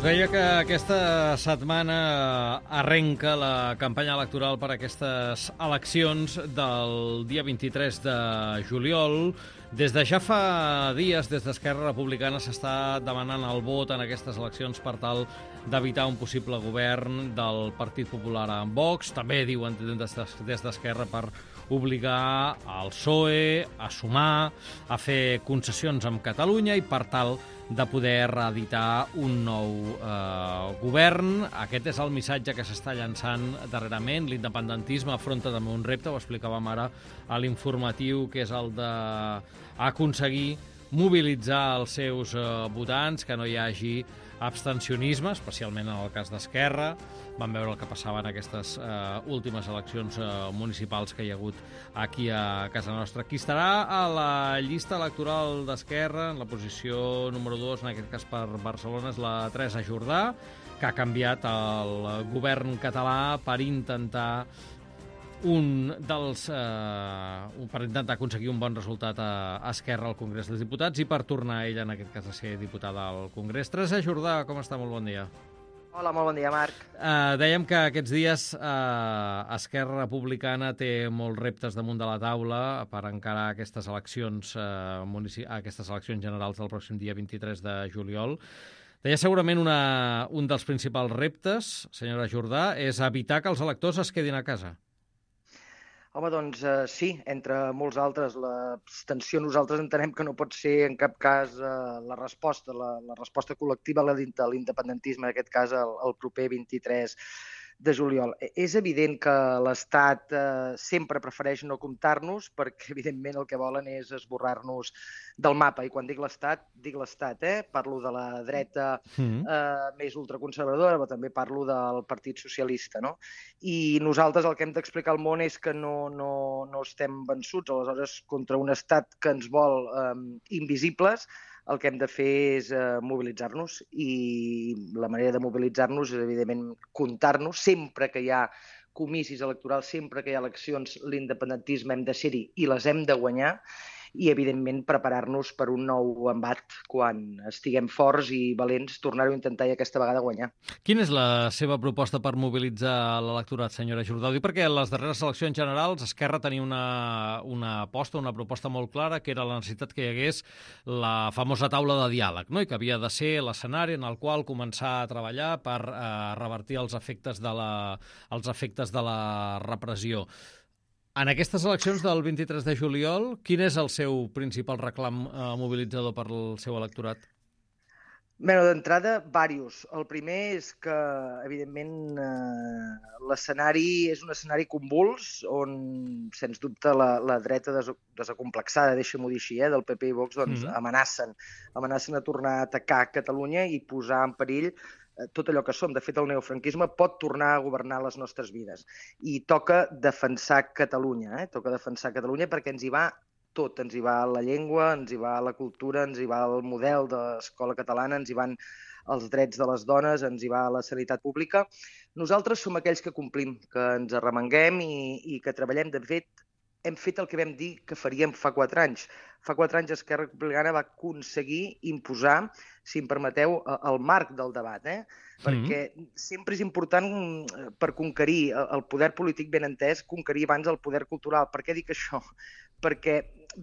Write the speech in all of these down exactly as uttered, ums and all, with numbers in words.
Us deia que aquesta setmana arrenca la campanya electoral per a aquestes eleccions del dia vint-i-tres de juliol. Des de ja fa dies, des d'Esquerra Republicana, s'està demanant el vot en aquestes eleccions per tal d'evitar un possible govern del Partit Popular amb Vox. També diuen des d'Esquerra per obligar el P S O E a sumar, a fer concessions amb Catalunya i per tal de poder reeditar un nou eh, govern. Aquest és el missatge que s'està llançant darrerament. L'independentisme afronta també un repte, ho explicàvem ara a l'informatiu, que és el d'aconseguir mobilitzar els seus eh, votants, que no hi hagi abstencionisme, especialment en el cas d'Esquerra. Vam veure el que passava en aquestes eh, últimes eleccions eh, municipals que hi ha hagut aquí a casa nostra. Qui estarà a la llista electoral d'Esquerra, en la posició número dos, en aquest cas per Barcelona, és la Teresa Jordà, que ha canviat el govern català per intentar un dels eh, per intentar aconseguir un bon resultat a Esquerra al Congrés dels Diputats i per tornar ella, en aquest cas, a ser diputada al Congrés. Teresa Jordà, com està? Molt bon dia. Hola, molt bon dia, Marc. Eh, dèiem que aquests dies eh, Esquerra Republicana té molts reptes damunt de la taula per encarar aquestes eleccions, eh, munici- aquestes eleccions generals del pròxim dia vint-i-tres de juliol. Deia segurament una, un dels principals reptes, senyora Jordà, és evitar que els electors es quedin a casa. Home, doncs eh, sí, entre molts altres. L'abstenció nosaltres entenem que no pot ser en cap cas eh, la resposta, la, la resposta col·lectiva a l'independentisme, en aquest cas el, el proper vint-i-tres de juliol. És evident que l'Estat eh, sempre prefereix no comptar-nos perquè, evidentment, el que volen és esborrar-nos del mapa. I quan dic l'Estat, dic l'Estat, eh? Parlo de la dreta eh, més ultraconservadora, però també parlo del Partit Socialista, no? I nosaltres el que hem d'explicar al món és que no, no, no estem vençuts. Aleshores, contra un Estat que ens vol eh, invisibles, el que hem de fer és eh, mobilitzar-nos, i la manera de mobilitzar-nos és, evidentment, comptar-nos. Sempre que hi ha comicis electorals, sempre que hi ha eleccions, l'independentisme hem de ser-hi i les hem de guanyar, i, evidentment, preparar-nos per un nou embat quan estiguem forts i valents, tornar-ho a intentar i aquesta vegada guanyar. Quina és la seva proposta per mobilitzar l'electorat, senyora Jordà? Ho dic perquè en les darreres eleccions generals Esquerra tenia una, una aposta, una proposta molt clara, que era la necessitat que hi hagués la famosa taula de diàleg, no? I que havia de ser l'escenari en el qual començar a treballar per eh, revertir els efectes de la, els efectes de la repressió. En aquestes eleccions del vint-i-tres de juliol, quin és el seu principal reclam eh, mobilitzador per al seu electorat? Bé, d'entrada, diversos. El primer és que, evidentment, eh, l'escenari és un escenari convuls on, sens dubte, la, la dreta des, desacomplexada, deixa-m'ho dir així, eh, del P P i Vox, doncs, mm-hmm. amenacen, amenacen a tornar a atacar Catalunya i posar en perill tot allò que som. De fet, el neofranquisme pot tornar a governar les nostres vides. I toca defensar Catalunya, eh? Toca defensar Catalunya perquè ens hi va tot. Ens hi va la llengua, ens hi va la cultura, ens hi va el model de l'escola catalana, ens hi van els drets de les dones, ens hi va la sanitat pública. Nosaltres som aquells que complim, que ens arremanguem i, i que treballem. De fet, hem fet el que vam dir que faríem fa quatre anys. Fa quatre anys Esquerra Republicana va aconseguir imposar, si em permeteu, el marc del debat, eh? Perquè sempre és important, per conquerir el poder polític ben entès, conquerir abans el poder cultural. Per què dic això? Perquè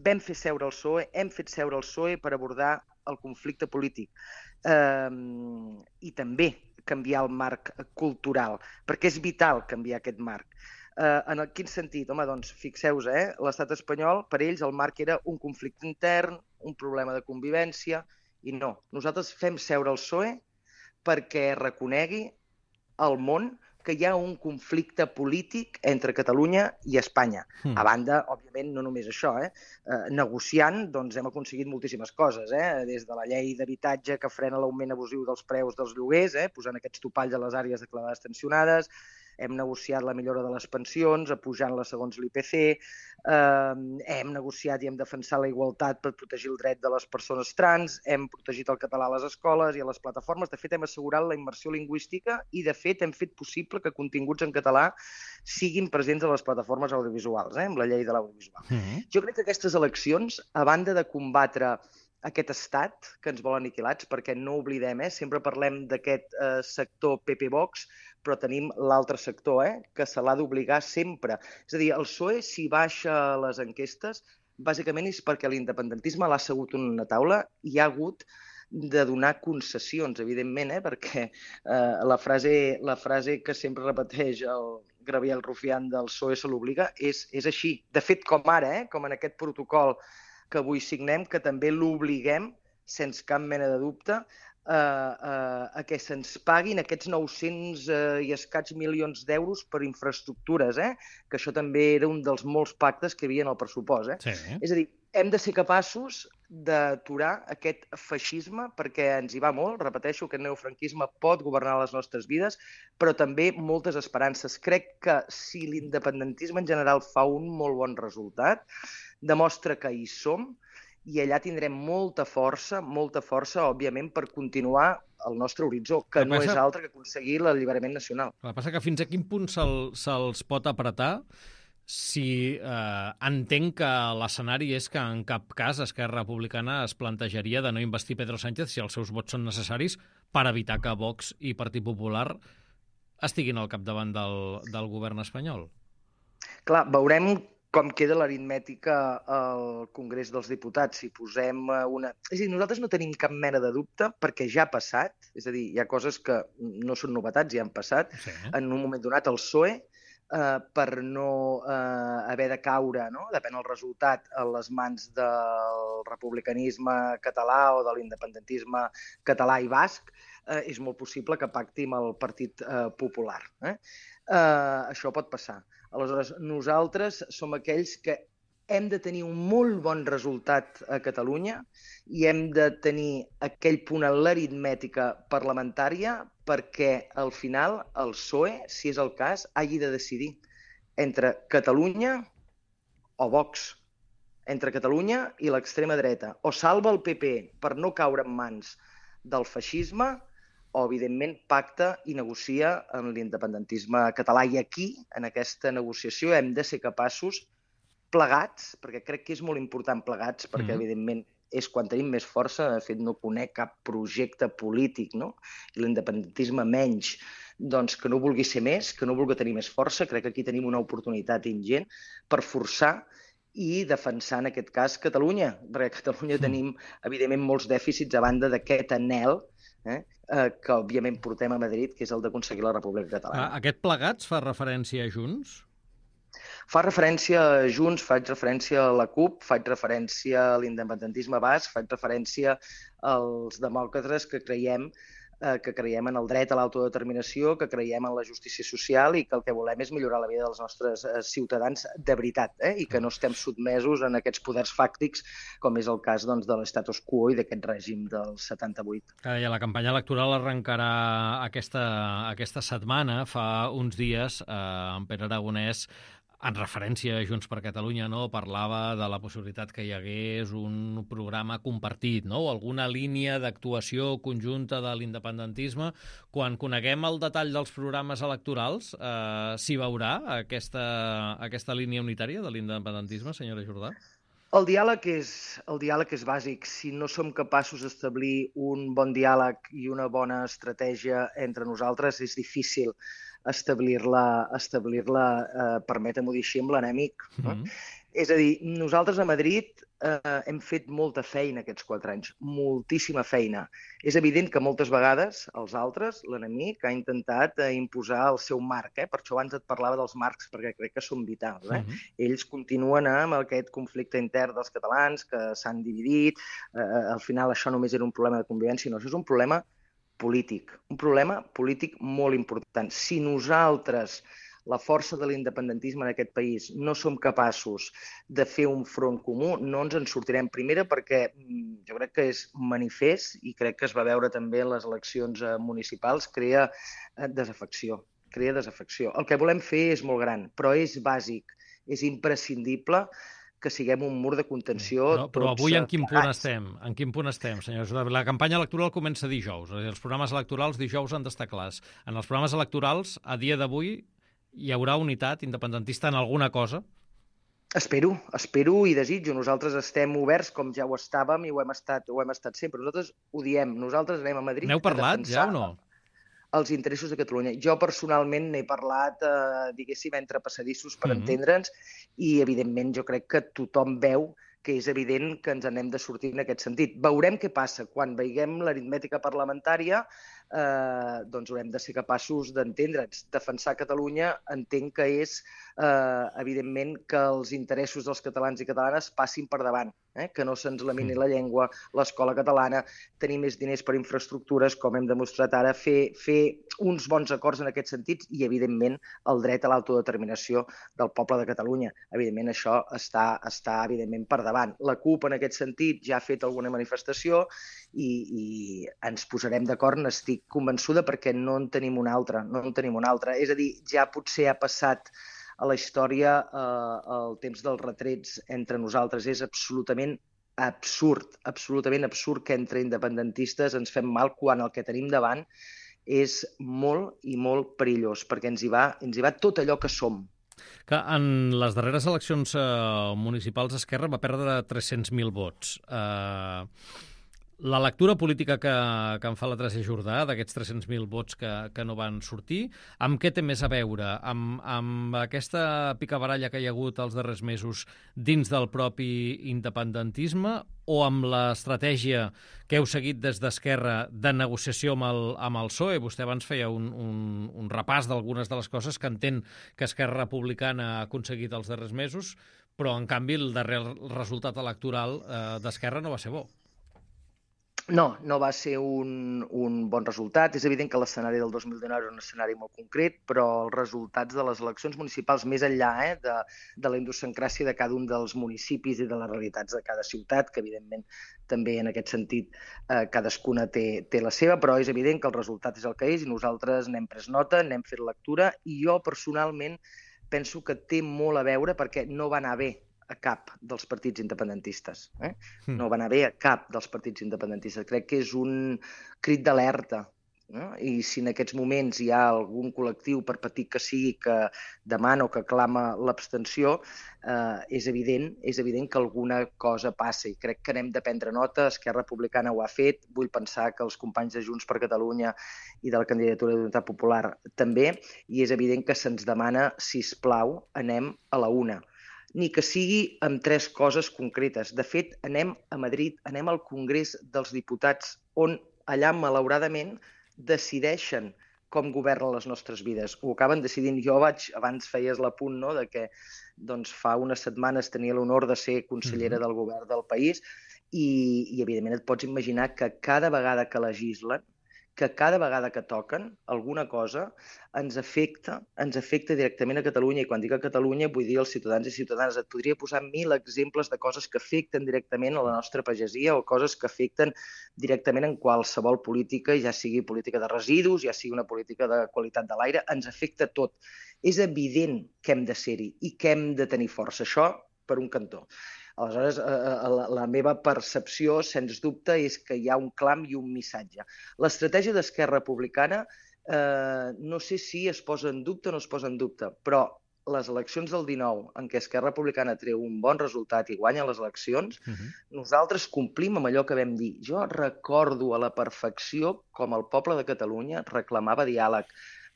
vam fer seure el P S O E, hem fet seure el P S O E per abordar el conflicte polític. Eh, I també canviar el marc cultural, perquè és vital canviar aquest marc. Uh, en el, quin sentit? Home, doncs, fixeu-vos, eh? L'estat espanyol, per ells, el marc era un conflicte intern, un problema de convivència, i no. Nosaltres fem seure el P S O E perquè reconegui al món que hi ha un conflicte polític entre Catalunya i Espanya. Mm. A banda, òbviament, no només això, eh? Uh, negociant, doncs, hem aconseguit moltíssimes coses, eh? Des de la llei d'habitatge que frena l'augment abusiu dels preus dels lloguers, eh? Posant aquests topalls a les àrees declarades tensionades, hem negociat la millora de les pensions, apujant-les segons l'I P C, eh, hem negociat i hem defensat la igualtat per protegir el dret de les persones trans, hem protegit el català a les escoles i a les plataformes. De fet, hem assegurat la immersió lingüística i, de fet, hem fet possible que continguts en català siguin presents a les plataformes audiovisuals, eh, amb la llei de l'audiovisual. Mm-hmm. Jo crec que aquestes eleccions, a banda de combatre aquest estat que ens vol aniquilats, perquè no oblidem, eh? Sempre parlem d'aquest eh, sector P P Vox, però tenim l'altre sector, eh? Que se l'ha d'obligar sempre. És a dir, el P S O E, si baixa les enquestes, bàsicament és perquè l'independentisme l'ha assegut en una taula i ha hagut de donar concessions, evidentment, eh? Perquè eh, la, frase, la frase que sempre repeteix el Gabriel Rufián del P S O E se l'obliga és, és així. De fet, com ara, eh? Com en aquest protocol que avui signem, que també l'obliguem, sense cap mena de dubte, eh, eh, a que se'ns paguin aquests nou-cents eh, i escaig milions d'euros per infraestructures, eh? Que això també era un dels molts pactes que hi havia en el pressupost. Eh? Sí. És a dir, hem de ser capaços d'aturar aquest feixisme, perquè ens hi va molt, repeteixo, que el neofranquisme pot governar les nostres vides, però també moltes esperances. Crec que si l'independentisme en general fa un molt bon resultat, demostra que hi som i allà tindrem molta força, molta força, òbviament, per continuar el nostre horitzó, que no és altre que aconseguir l'alliberament nacional. El que passa que fins a quin punt se'l, se'ls pot apretar si eh, entenc que l'escenari és que en cap cas Esquerra Republicana es plantejaria de no investir Pedro Sánchez si els seus vots són necessaris per evitar que Vox i Partit Popular estiguin al capdavant del, del govern espanyol. Clar, veurem com queda l'aritmètica al Congrés dels Diputats. Si posem una... És a dir, nosaltres no tenim cap mena de dubte perquè ja ha passat, és a dir, hi ha coses que no són novetats, ja han passat. Sí. En un moment donat el P S O E, eh, per no eh, haver de caure, no? Depèn del resultat, a les mans del republicanisme català o de l'independentisme català i basc, eh, és molt possible que pacti amb el Partit eh, Popular. Eh? Eh, això pot passar. Aleshores, nosaltres som aquells que hem de tenir un molt bon resultat a Catalunya i hem de tenir aquell punt en l'aritmètica parlamentària perquè al final el P S O E, si és el cas, hagi de decidir entre Catalunya o Vox, entre Catalunya i l'extrema dreta. O salva el P P per no caure en mans del feixisme o, evidentment, pacta i negocia amb l'independentisme català. I aquí, en aquesta negociació, hem de ser capaços, plegats, perquè crec que és molt important plegats, perquè, mm. evidentment, és quan tenim més força. De fet, no conec cap projecte polític, no? I l'independentisme menys, doncs, que no vulgui ser més, que no vulgui tenir més força. Crec que aquí tenim una oportunitat ingent per forçar i defensar, en aquest cas, Catalunya. Perquè a Catalunya mm. tenim, evidentment, molts dèficits a banda d'aquest anhel eh, que, òbviament, portem a Madrid, que és el d'aconseguir la República Catalana. Aquest plegats fa referència a Junts? Fa referència a Junts, faig referència a la CUP, faig referència a l'independentisme basc, faig referència als demòcrates que creiem eh, que creiem en el dret a l'autodeterminació, que creiem en la justícia social i que el que volem és millorar la vida dels nostres eh, ciutadans de veritat, eh? I que no estem sotmesos en aquests poders fàctics, com és el cas doncs, de l'estatus quo i d'aquest règim del setanta-vuit. I la campanya electoral arrencarà aquesta, aquesta setmana. Fa uns dies, eh, en Pere Aragonès, en referència a Junts per Catalunya, no, parlava de la possibilitat que hi hagués un programa compartit, no? O alguna línia d'actuació conjunta de l'independentisme. Quan coneguem el detall dels programes electorals, eh, s'hi veurà aquesta, aquesta línia unitària de l'independentisme, senyora Jordà? El diàleg és, el diàleg és bàsic. Si no som capaços d'establir un bon diàleg i una bona estratègia entre nosaltres, és difícil establir-la, establir-la eh, permetem-ho dir així, amb l'enemic. Mm-hmm. No? És a dir, nosaltres a Madrid eh, hem fet molta feina aquests quatre anys, moltíssima feina. És evident que moltes vegades els altres, l'enemic, ha intentat eh, imposar el seu marc. Eh? Per això abans et parlava dels marcs, perquè crec que són vitals. Eh? Mm-hmm. Ells continuen amb aquest conflicte intern dels catalans, que s'han dividit. Eh, al final això només era un problema de convivència, no, això és un problema polític, un problema polític molt important. Si nosaltres, la força de l'independentisme en aquest país, no som capaços de fer un front comú, no ens en sortirem. Primera perquè jo crec que és manifest i crec que es va veure també en les eleccions municipals, crea desafecció, crea desafecció. El que volem fer és molt gran, però és bàsic, és imprescindible que siguem un mur de contenció. Però, però avui en quin punt estem? En quin punt estem, senyors? La campanya electoral comença dijous. Els programes electorals dijous han d'estar clars. En els programes electorals, a dia d'avui, hi haurà unitat independentista en alguna cosa? Espero, espero i desitjo. Nosaltres estem oberts com ja ho estàvem i ho hem estat, ho hem estat sempre. Nosaltres ho diem. Nosaltres anem a Madrid N'heu a parlat ja defensar o no? els interessos de Catalunya. Jo personalment n'he parlat, eh, diguéssim, entre passadissos per Mhm. entendre'ns i, evidentment, jo crec que tothom veu que és evident que ens n'hem de sortir en aquest sentit. Veurem què passa. Quan veiguem l'aritmètica parlamentària, eh, doncs haurem de ser capaços d'entendre'ns. Defensar Catalunya entenc que és, eh, evidentment, que els interessos dels catalans i catalanes passin per davant, eh? Que no se'ns lamini la llengua, l'escola catalana, tenir més diners per infraestructures, com hem demostrat ara, fer, fer uns bons acords en aquest sentit i, evidentment, el dret a l'autodeterminació del poble de Catalunya. Evidentment, això està, està evidentment, per davant. La CUP, en aquest sentit, ja ha fet alguna manifestació i, i ens posarem d'acord, n'estic convençuda, perquè no en tenim una altra, no en tenim una altra. És a dir, ja potser ha passat a la història eh, el temps dels retrets entre nosaltres. És absolutament absurd, absolutament absurd que entre independentistes ens fem mal quan el que tenim davant és molt i molt perillós, perquè ens hi va, ens hi va tot allò que som. Que en les darreres eleccions eh, municipals Esquerra va perdre tres-cents mil vots. Eh, la lectura política que, que en fa la Teresa Jordà, d'aquests tres-cents mil vots que, que no van sortir, amb què té més a veure? Amb, amb aquesta picabaralla que hi ha hagut els darrers mesos dins del propi independentisme o amb l'estratègia que heu seguit des d'Esquerra de negociació amb el, amb el P S O E? Vostè abans feia un, un, un repàs d'algunes de les coses que entén que Esquerra Republicana ha aconseguit els darrers mesos, però, en canvi, el darrer resultat electoral eh, d'Esquerra no va ser bo. No, no va ser un, un bon resultat. És evident que l'escenari del dos mil dinou era un escenari molt concret, però els resultats de les eleccions municipals, més enllà eh, de, de la idiosincràsia de cada un dels municipis i de les realitats de cada ciutat, que evidentment també en aquest sentit eh, cadascuna té, té la seva, però és evident que el resultat és el que és i nosaltres n'hem pres nota, n'hem fet lectura i jo personalment penso que té molt a veure perquè no va anar bé a cap dels partits independentistes. Eh? Mm. No va anar bé a cap dels partits independentistes. Crec que és un crit d'alerta. No? I si en aquests moments hi ha algun col·lectiu, per petit que sigui, que demana o que clama l'abstenció, eh, és evident, és evident que alguna cosa passa i crec que n'hem de prendre nota. Esquerra Republicana ho ha fet. Vull pensar que els companys de Junts per Catalunya i de la candidatura d'Unitat Popular també, i és evident que se'ns demana, sisplau, anem a la una. Ni que sigui amb tres coses concretes. De fet, anem a Madrid, anem al Congrés dels Diputats, on allà, malauradament, decideixen com governen les nostres vides. Ho acaben decidint. Jo vaig, abans feies l'apunt, no?, de que doncs, fa unes setmanes tenia l'honor de ser consellera del govern del país i, i, evidentment, et pots imaginar que cada vegada que legislen, que cada vegada que toquen alguna cosa ens afecta, ens afecta directament a Catalunya. I quan dic a Catalunya vull dir als ciutadans i ciutadanes. Et podria posar mil exemples de coses que afecten directament a la nostra pagesia o coses que afecten directament en qualsevol política, ja sigui política de residus, ja sigui una política de qualitat de l'aire, ens afecta tot. És evident que hem de ser-hi i que hem de tenir força. Això per un cantó. Aleshores, la, la meva percepció, sens dubte, és que hi ha un clam i un missatge. L'estratègia d'Esquerra Republicana eh, no sé si es posa en dubte o no es posa en dubte, però les eleccions del dinou, en què Esquerra Republicana treu un bon resultat i guanya les eleccions, uh-huh. nosaltres complim amb allò que vam dir. Jo recordo a la perfecció com el poble de Catalunya reclamava diàleg.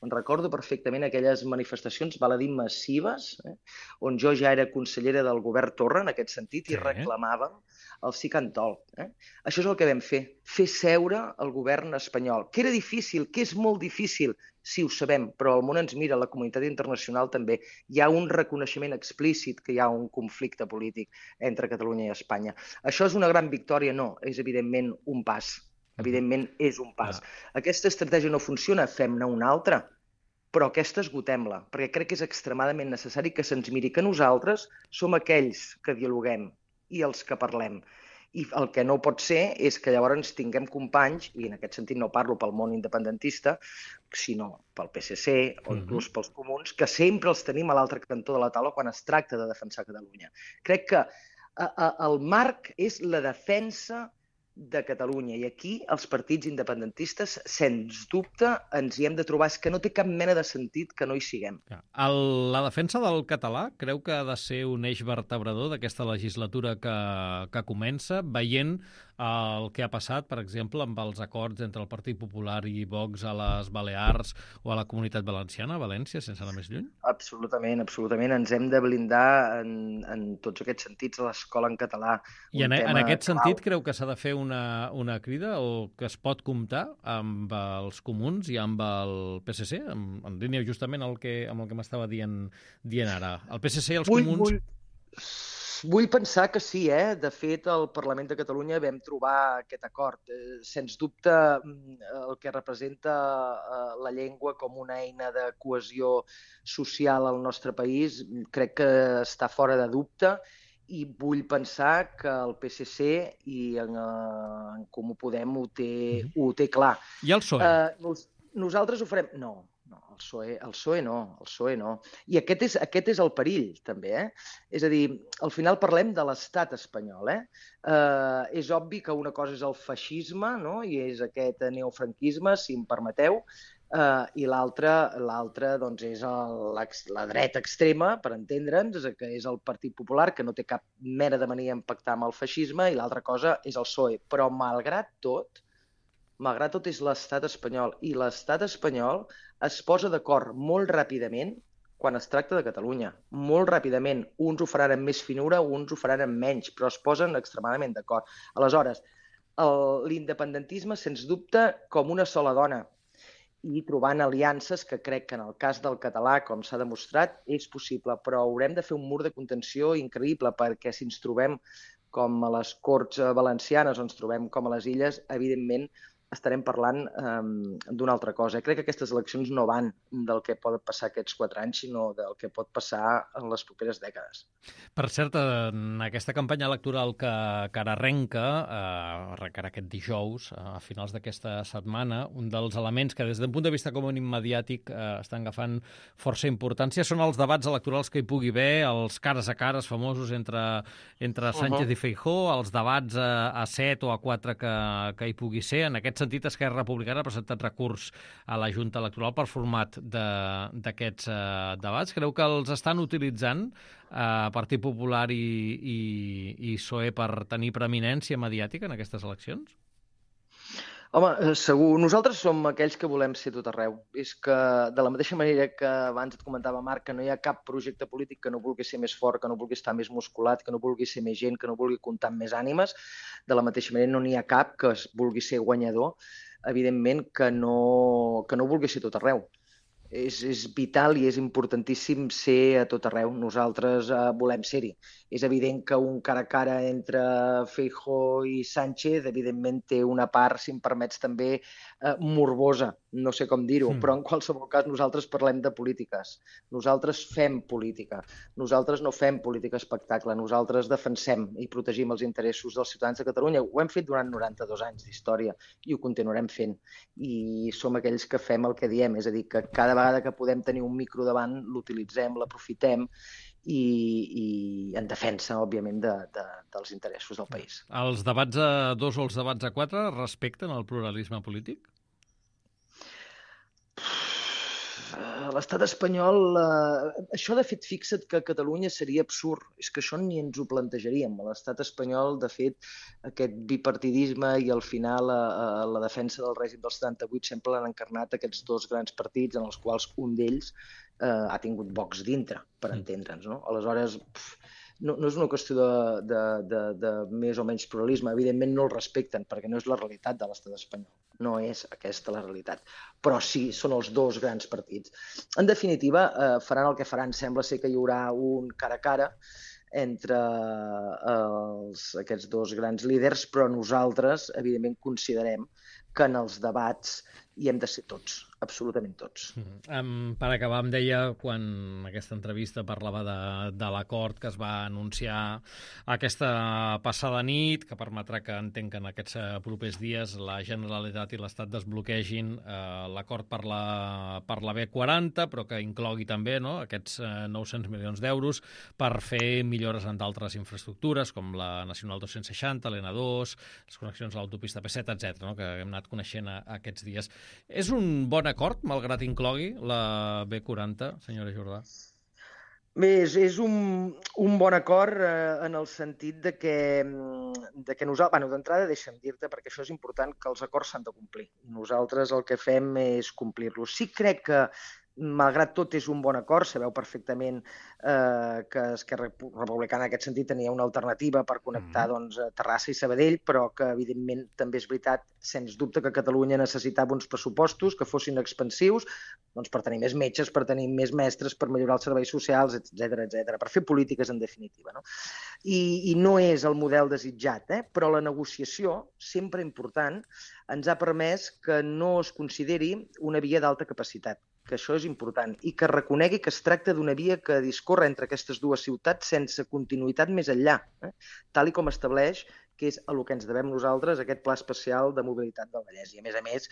Em recordo perfectament aquelles manifestacions, val a dir, massives, eh, on jo ja era consellera del govern Torra, en aquest sentit, i sí. reclamàvem el sí can tol. Eh? Això és el que vam fer, fer seure el govern espanyol, que era difícil, que és molt difícil, sí, ho sabem, però el món ens mira, la comunitat internacional també. Hi ha un reconeixement explícit que hi ha un conflicte polític entre Catalunya i Espanya. Això és una gran victòria? No, és evidentment un pas. Evidentment, és un pas. Ah. Aquesta estratègia no funciona, fem-ne una altra, però aquesta esgotem-la, perquè crec que és extremadament necessari que se'ns miri que nosaltres som aquells que dialoguem i els que parlem. I el que no pot ser és que llavors tinguem companys, i en aquest sentit no parlo pel món independentista, sinó pel P S C o inclús pels comuns, que sempre els tenim a l'altre cantó de la taula quan es tracta de defensar Catalunya. Crec que el marc és la defensa de Catalunya. I aquí els partits independentistes, sens dubte, ens hi hem de trobar. És que no té cap mena de sentit que no hi siguem. El, la defensa del català creu que ha de ser un eix vertebrador d'aquesta legislatura que, que comença, veient el que ha passat, per exemple, amb els acords entre el Partit Popular i Vox a les Balears o a la Comunitat Valenciana, a València, sense anar més lluny? Absolutament, absolutament. Ens hem de blindar en, en tots aquests sentits a l'escola en català. I en, en aquest clau. sentit creu que s'ha de fer una, una crida o que es pot comptar amb els comuns i amb el P S C, en, en línia justament el que, amb el que m'estava dient, dient ara. El P S C i els vull, comuns... Vull... Vull pensar que sí, eh? De fet, al Parlament de Catalunya vam trobar aquest acord. Eh, sens dubte, el que representa eh, la llengua com una eina de cohesió social al nostre país, crec que està fora de dubte, i vull pensar que el P S C i en, en Comú Podem ho té, mm-hmm. ho té clar. I el P S O E? Eh, nos, nosaltres ho farem... No. No, el P S O E, el P S O E no, el P S O E no. I aquest és, aquest és el perill, també, eh? És a dir, al final parlem de l'estat espanyol, eh? eh? És obvi que una cosa és el feixisme, no?, i és aquest neofranquisme, si em permeteu, eh, i l'altra, l'altra, doncs, és el, la dreta extrema, per entendre'ns, que és el Partit Popular, que no té cap mena de mania en pactar amb el feixisme, i l'altra cosa és el P S O E. Però, malgrat tot, malgrat tot és l'estat espanyol, i l'estat espanyol es posa d'acord molt ràpidament quan es tracta de Catalunya. Molt ràpidament. Uns ho faran amb més finura, uns ho faran amb menys, però es posen extremadament d'acord. Aleshores, l'independentisme, sens dubte, com una sola dona, i trobant aliances que crec que en el cas del català, com s'ha demostrat, és possible, però haurem de fer un mur de contenció increïble, perquè si ens trobem com a les Corts Valencianes o ens trobem com a les Illes, evidentment estarem parlant um, d'una altra cosa. Crec que aquestes eleccions no van del que pot passar aquests quatre anys, sinó del que pot passar en les properes dècades. Per cert, en aquesta campanya electoral que, que ara arrenca, eh, que ara aquest dijous, a finals d'aquesta setmana, un dels elements que des d'un punt de vista com un immediàtic eh, estan agafant força importància són els debats electorals que hi pugui haver, els cares a cares famosos entre, entre Sánchez uh-huh. i Feijóo, els debats a, a set o a quatre que, que hi pugui ser. En aquest sentit, Esquerra Republicana ha presentat recurs a la Junta Electoral per format d'aquests eh, debats. Creu que els estan utilitzant eh, Partit Popular i, i, i P S O E per tenir preeminència mediàtica en aquestes eleccions? Home, segur. Nosaltres som aquells que volem ser tot arreu. És que, de la mateixa manera que abans et comentava, Marc, que no hi ha cap projecte polític que no vulgui ser més fort, que no vulgui estar més musculat, que no vulgui ser més gent, que no vulgui comptar amb més ànimes, de la mateixa manera no n'hi ha cap que es vulgui ser guanyador, evidentment que no, que no vulgui ser tot arreu. És, és vital i és importantíssim ser a tot arreu. Nosaltres eh, volem ser-hi. És evident que un cara a cara entre Feijóo i Sánchez, evidentment, té una part, si em permets, també eh, morbosa, no sé com dir-ho, mm. però en qualsevol cas nosaltres parlem de polítiques. Nosaltres fem política. Nosaltres no fem política espectacle. Nosaltres defensem i protegim els interessos dels ciutadans de Catalunya. Ho hem fet durant noranta-dos anys d'història i ho continuarem fent. I som aquells que fem el que diem, és a dir, que cada vegada que podem tenir un micro davant, l'utilitzem, l'aprofitem i, i en defensa, òbviament, de, de, dels interessos del país. Els debats a dos o els debats a quatre respecten el pluralisme polític? L'estat espanyol, eh, això de fet fixa't que a Catalunya seria absurd, és que això ni ens ho plantejaríem. L'estat espanyol, de fet, aquest bipartidisme i al final a, a la defensa del règim del setanta-vuit sempre l'han encarnat aquests dos grans partits en els quals un d'ells eh, ha tingut Vox dintre, per entendre'ns, no? Aleshores, pff, no, no és una qüestió de, de, de, de més o menys pluralisme, evidentment no el respecten perquè no és la realitat de l'estat espanyol. No és aquesta la realitat, però sí, són els dos grans partits. En definitiva, eh, faran el que faran. Sembla ser que hi haurà un cara a cara entre eh, els, aquests dos grans líders, però nosaltres, evidentment, considerem que en els debats hi hem de ser tots. absolutament tots. Um, per acabar, em deia, quan aquesta entrevista parlava de, de l'acord que es va anunciar aquesta passada nit, que permetrà que entenc que en aquests propers dies la Generalitat i l'Estat desbloquegin eh, l'acord per la, per la B quaranta, però que inclogui també, no?, aquests eh, nou-cents milions d'euros per fer millores en d'altres infraestructures, com la Nacional dos-cents seixanta, l'N dos, les connexions a l'autopista P set, etcètera, no?, que hem anat coneixent a, a aquests dies. És un bon acord, malgrat inclogui la B quaranta, senyora Jordà? Bé, és, és un, un bon acord eh, en el sentit de que, de que nosaltres... Bueno, d'entrada, deixa'm dir-te, perquè això és important, que els acords s'han de complir. Nosaltres el que fem és complir-los. Sí crec que, malgrat tot, és un bon acord. Sabeu perfectament eh, que Esquerra Republicana en aquest sentit tenia una alternativa per connectar mm. doncs, Terrassa i Sabadell, però que, evidentment, també és veritat, sens dubte, que Catalunya necessitava uns pressupostos que fossin expansius doncs, per tenir més metges, per tenir més mestres, per millorar els serveis socials, etcètera, etcètera, per fer polítiques en definitiva. No? I, I no és el model desitjat, eh? Però la negociació, sempre important, ens ha permès que no es consideri una via d'alta capacitat, que això és important, i que reconegui que es tracta d'una via que discorre entre aquestes dues ciutats sense continuïtat més enllà, eh? Tal i com estableix que és a el que ens devem nosaltres, aquest Pla Especial de Mobilitat del Vallès. I, a més a més,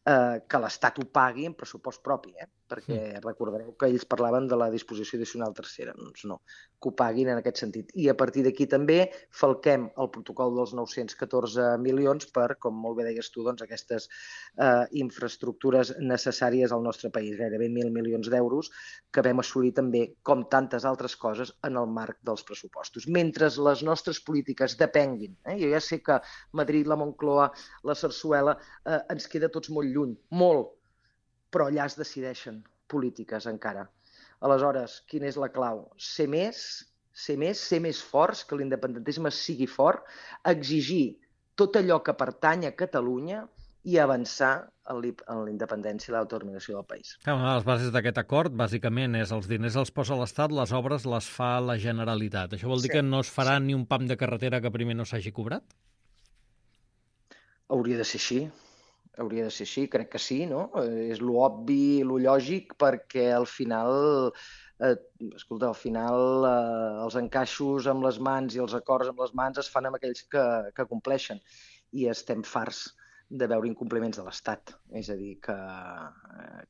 eh, que l'Estat ho pagui en pressupost propi, eh? Perquè mm. recordareu que ells parlaven de la disposició addicional tercera. Doncs no, que ho paguin en aquest sentit. I a partir d'aquí també falquem el protocol dels nou-cents catorze milions per, com molt bé deies tu, doncs, aquestes eh, infraestructures necessàries al nostre país, gairebé mil milions d'euros, que vam assolir també, com tantes altres coses, en el marc dels pressupostos. Mentre les nostres polítiques depenguin, eh? Jo ja sé que Madrid, la Moncloa, la Sarsuela, eh, ens queda tots molt lluny, molt, però allà es decideixen polítiques encara. Aleshores, quina és la clau? Ser més, ser més, ser més forts, que l'independentisme sigui fort, exigir tot allò que pertany a Catalunya i avançar en la independència i l'autodeterminació del país. Una de les bases d'aquest acord, bàsicament, és els diners els posa l'Estat, les obres les fa la Generalitat. Això vol dir sí, que no es farà sí. ni un pam de carretera que primer no s'hagi cobrat? Hauria de ser així. Hauria de ser així, crec que sí, no? És l'obvi, lo lògic, perquè al final, eh, escolta, al final eh, els encaixos amb les mans i els acords amb les mans es fan amb aquells que, que compleixen. I estem farts de veure incompliments de l'Estat. És a dir, que,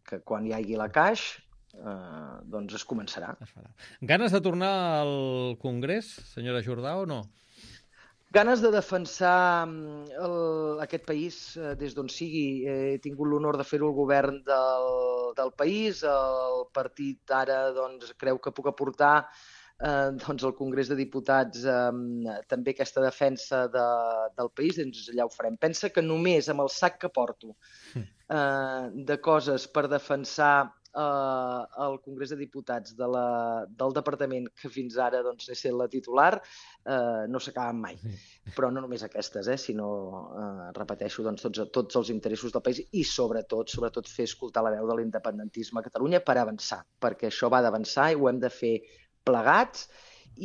que quan hi hagi la caixa, eh, doncs es començarà. Es farà. Ganes de tornar al Congrés, senyora Jordà, o no? Ganes de defensar el, aquest país eh, des d'on sigui. He tingut l'honor de fer-ho al govern del, del país. El partit ara doncs, creu que puc aportar eh, doncs, al Congrés de Diputats eh, també aquesta defensa de, del país, doncs allà ho farem. Pensa que només amb el sac que porto eh, de coses per defensar Uh, al Congrés de Diputats de la, del departament que fins ara doncs, he set la titular, uh, no s'acaben mai. Però no només aquestes, eh, sinó, uh, repeteixo, doncs, tots, tots els interessos del país i sobretot, sobretot fer escoltar la veu de l'independentisme a Catalunya per avançar, perquè això va d'avançar i ho hem de fer plegats.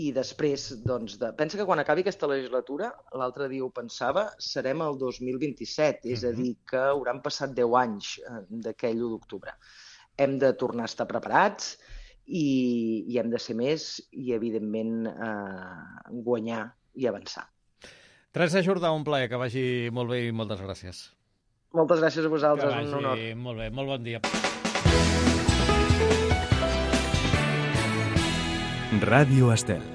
I després, doncs, de... pensa que quan acabi aquesta legislatura, l'altre dia ho pensava, serem el dos mil vint-i-set, és a dir, que hauran passat deu anys uh, d'aquell u d'octubre. Hem de tornar a estar preparats i, i hem de ser més i, evidentment, eh, guanyar i avançar. Teresa Jordà, un plaer, que vagi molt bé i moltes gràcies. Moltes gràcies a vosaltres, que vagi un honor. Molt bé, molt bon dia. Ràdio Estel.